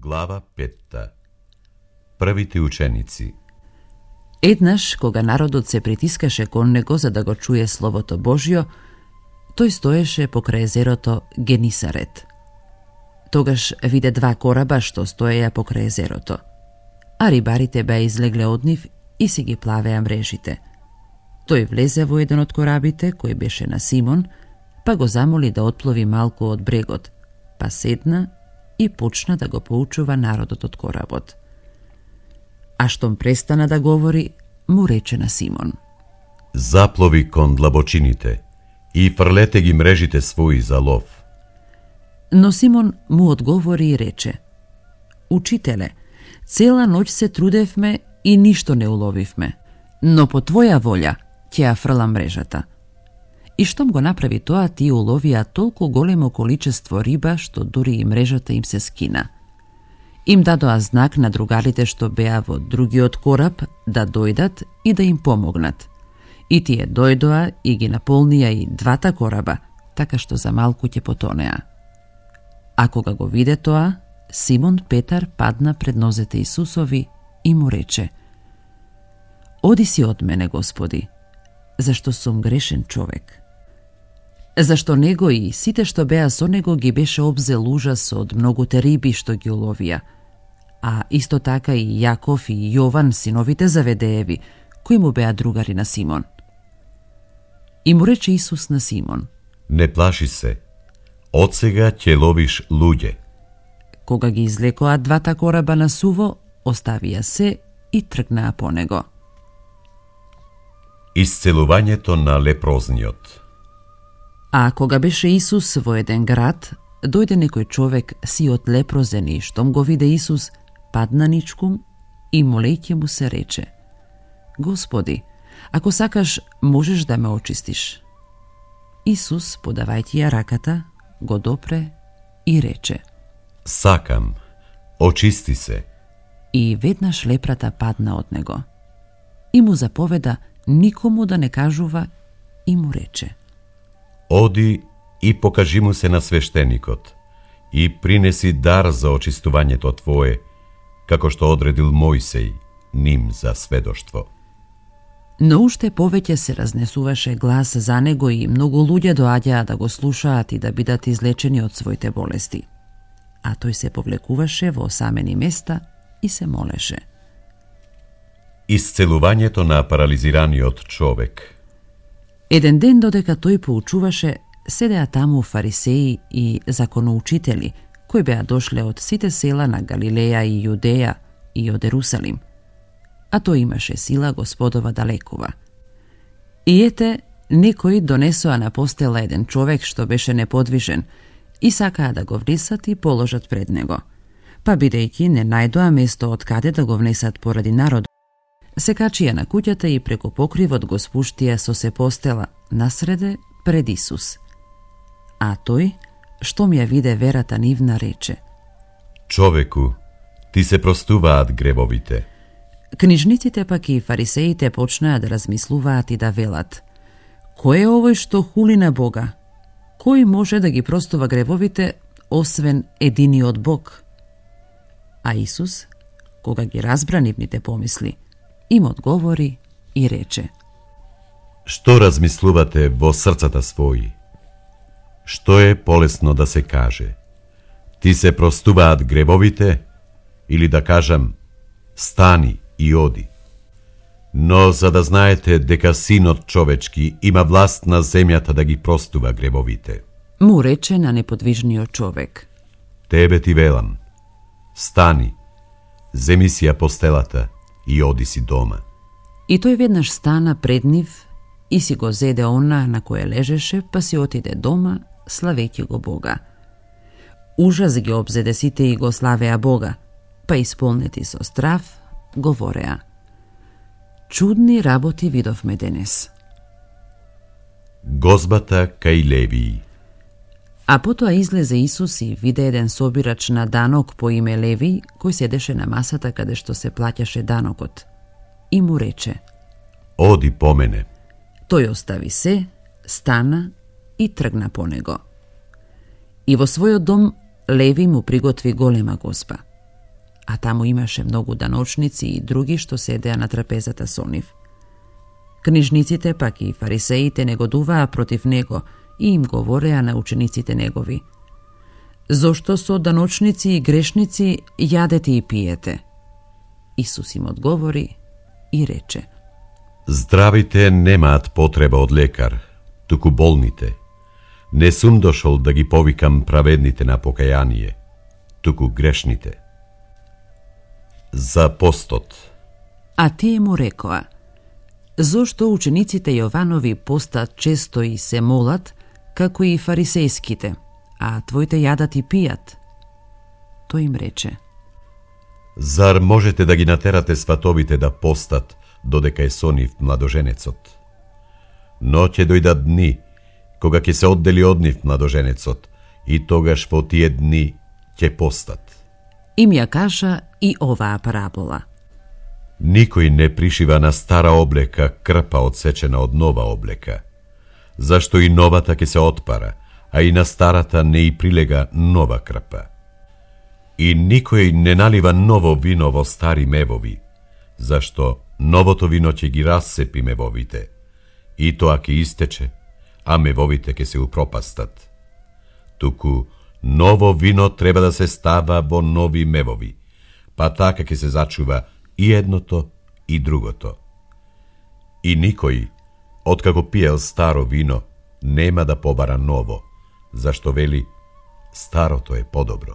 Глава 5. Првите ученици. Еднаш, кога народот се притискаше кон него за да го чуе Словото Божјо, тој стоеше покрај езерото Генисарет. Тогаш виде два кораба што стоеја покрај езерото, а рибарите беа излегле од нив и си ги плавеа мрежите. Тој влезе во еден од корабите, кој беше на Симон, па го замоли да отплови малку од брегот, па седна и почна да го поучува народот од коработ. А штом престана да говори, му рече на Симон: Заплови кон длабочините и фрлете ги мрежите своји за лов. Но Симон му одговори и рече: Учителе, цела ноќ се трудевме и ништо не уловивме, но по твоја волја ќе ја фрлам мрежата. И штом го направи тоа, тие уловија толку големо количество риба, што дури и мрежата им се скина. Им дадоа знак на другарите што беа во другиот кораб да дојдат и да им помогнат. И тие дојдоа и ги наполнија и двата кораба, така што за малку ќе потонеа. А кога го виде тоа, Симон Петар падна пред нозете Исусови и му рече: Оди си од мене, Господи, зашто сум грешен човек. Зашто него и сите што беа со него ги беше обзел ужас од многуте риби што ги уловија, а исто така и Јаков и Јован, синовите Заведееви, кои му беа другари на Симон. И му рече Исус на Симон: Не плаши се, од сега ќе ловиш луѓе. Кога ги излекоа двата кораба на суво, оставија се и тргнаа по него. Исцелувањето на лепрозниот. А кога беше Исус во еден град, дојде некој човек сиот лепрозен и штом го виде Исус, падна ничкум и молејќи му се рече: Господи, ако сакаш, можеш да ме очистиш. Исус, подавајќи ја раката, го допре и рече: Сакам, очисти се. И веднаш лепрата падна од него. И му заповеда никому да не кажува и му рече: Оди и покажи му се на свештеникот и принеси дар за очистувањето твое, како што одредил Мојсей ним за сведоштво. Но уште повеќе се разнесуваше глас за него и многу луѓе доаѓаа да го слушаат и да бидат излечени од своите болести. А тој се повлекуваше во осамени места и се молеше. Исцелувањето на парализираниот човек. Еден ден, додека тој поучуваше, седеа таму фарисеи и законоучители, кои беа дошле од сите села на Галилеја и Јудеја и од Ерусалим. А тој имаше сила Господова да лекува. И ете, некои донесоа на постела еден човек што беше неподвижен и сакаа да го внесат и положат пред него. Па бидејќи не најдоа место од каде да го внесат поради народ, се качија на куќата и преку покривот го спуштија со се постела насреде пред Исус. А тој, штом ја виде верата нивна, рече: Човеку, ти се простуваат гревовите. Книжниците пак и фарисеите почнаа да размислуваат и да велат: Кој е овој што хули на Бога? Кој може да ги простува гревовите, освен единиот Бог? А Исус, кога ги разбра нивните помисли, им одговори и рече: Што размислувате во срцата своји? Што е полесно да се каже? Ти се простуваат гревовите? Или да кажам: Стани и оди? Но за да знаете дека Синот човечки има власт на земјата да ги простува гревовите. Му рече на неподвижниот човек: Тебе ти велам, стани, земи си ја постелата и оди си дома. И тој веднаш стана пред нив и си го зеде она на кое лежеше, па си отиде дома, славејќи го Бога. Ужас ги обзеде сите и го славеа Бога, па исполнети со страв, говореа: Чудни работи видовме денес. Гозбата кај Левиј. А потоа излезе Исус и виде еден собирач на данок по име Левиј, кој седеше на масата каде што се плаќаше данокот. И му рече: Оди по мене. Тој остави се, стана и тргна по него. И во својот дом Леви му приготви голема гозба. а таму имаше многу даночници и други што седеа на трапезата со нив. Книжниците пак и фарисеите негодуваа против него и им говореа на учениците негови: зошто со даночници и грешници јадете и пиете? Исус им одговори и рече: Здравите немаат потреба од лекар, туку болните. Не сум дошол да ги повикам праведните на покаяние, туку грешните. За постот. А тие му рекоа: зошто учениците Јованови постат често и се молат, како и фарисејските, а твоите јадат и пијат? Тој им рече: Зар можете да ги натерате сватовите да постат, додека е со нив младоженецот? Но ќе дојдат дни, кога ќе се оддели од нив младоженецот, и тогаш во тие дни ќе постат. Им ја кажа и оваа парабола: Никој не пришива на стара облека крпа одсечена од нова облека, зашто и новата ќе се отпара, а и на старата не и прилега нова крпа. И никој не налива ново вино во стари мевови, зашто новото вино ќе ги рассепи мевовите, и тоа ќе истече, а мевовите ќе се упропастат. Туку ново вино треба да се става во нови мевови, па така ќе се зачува и едното и другото. И никој, откако пиел старо вино, нема да побара ново, зашто вели, старото е подобро.